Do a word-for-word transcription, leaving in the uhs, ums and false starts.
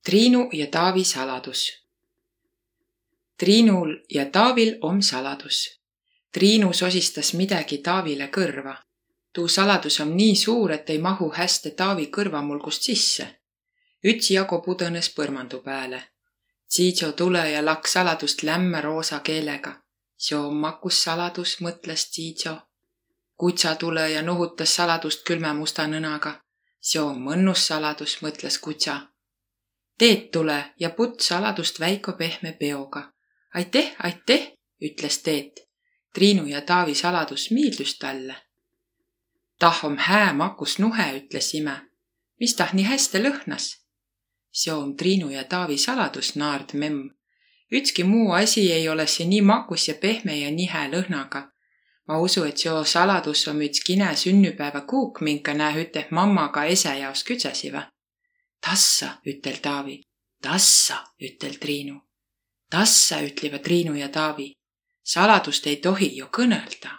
Triinu ja Taavi saladus. Triinul ja Taavil om saladus. Triinu sosistas midagi Taavile kõrva. Tuu saladus om nii suur, et ei mahu häste Taavi kõrvamulgust sisse. Üts jago pudõnes põrmandu pääle. Tsiitso tule ja lakk saladust lämmä roosa keelega. Seo om makus saladus, mõtles Tsiitso. Kutsa tule ja nuhutas saladust külmä musta nõnaga. Seo om mõnnus saladus, mõtles kutsa. Teet tule ja putt saladust väiko pehme peoga. Aiteh, aiteh, ütles Teet. Triinu ja Taavi saladus miildus talle. Tah om hää makus nuhe, ütles ime. Mis tah nii häste lõhnas? Seo om Triinu ja Taavi saladus, naard memm. Ütski muu asi ei ole see nii makus ja pehme ja nii hää lõhnaga. Ma usu, et seo saladus om üts kine sünnüpäeva kuuk, minka nää üteh mammaga ese jaos kütsesiva. Tassa, ütel Taavi. Tassa, ütel Triinu. Tassa, ütlivad Triinu ja Taavi. Saladust ei tohi ju kõnelda.